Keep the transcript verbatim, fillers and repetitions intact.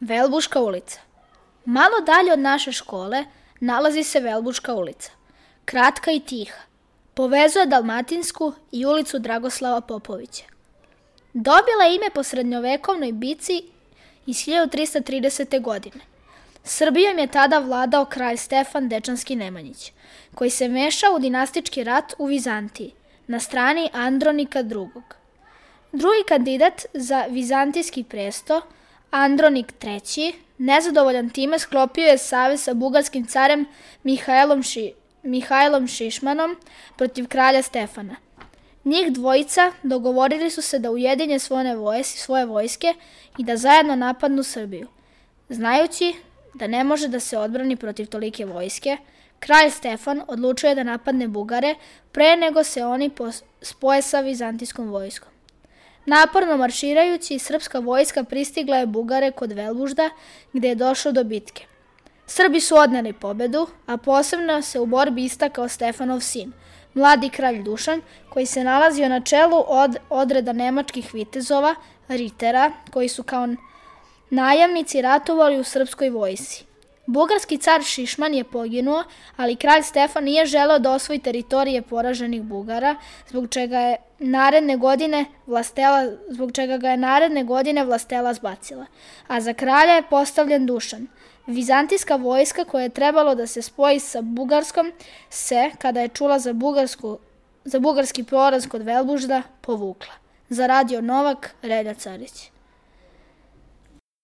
Velbuška ulica. Malo dalje od naše škole nalazi se Velbuška ulica. Kratka i tiha. Povezuje Dalmatinsku i ulicu Dragoslava Popovića. Dobila je ime po srednjovekovnoj bici iz hiljadu trista tridesete. godine. Srbijom je tada vladao kralj Stefan Dečanski Nemanjić, koji se mešao u dinastički rat u Vizantiji, na strani Andronika drugog. Drugi kandidat za vizantijski presto, Andronik treći, nezadovoljan time sklopio je savez sa bugarskim carem Mihajlom, Ši, Mihajlom Šišmanom protiv kralja Stefana. Njih dvojica dogovorili su se da ujedinje svoje, vojske, svoje vojske i da zajedno napadnu Srbiju. Znajući da ne može da se odbrani protiv tolike vojske, kralj Stefan odlučio je da napadne Bugare pre nego se oni spoje sa vizantijskom vojskom. Naporno marširajući, srpska vojska pristigla je Bugare kod Velbužda, gde je došlo do bitke. Srbi su odneli pobedu, a posebno se u borbi istakao Stefanov sin, mladi kralj Dušan, koji se nalazio na čelu od odreda nemačkih vitezova, ritera, koji su kao najamnici ratovali u srpskoj vojsci. Bugarski car Šišman je poginuo, ali kralj Stefan nije želeo da osvoji teritorije poraženih Bugara, zbog čega je naredne godine vlastela, zbog čega ga je naredne godine vlastela zbacila. A za kralja je postavljen Dušan. Vizantijska vojska koja je trebalo da se spoji sa Bugarskom se, kada je čula za, bugarsku, za bugarski poraz kod Velbužda, povukla. Za Radio Novak, Relja Carić.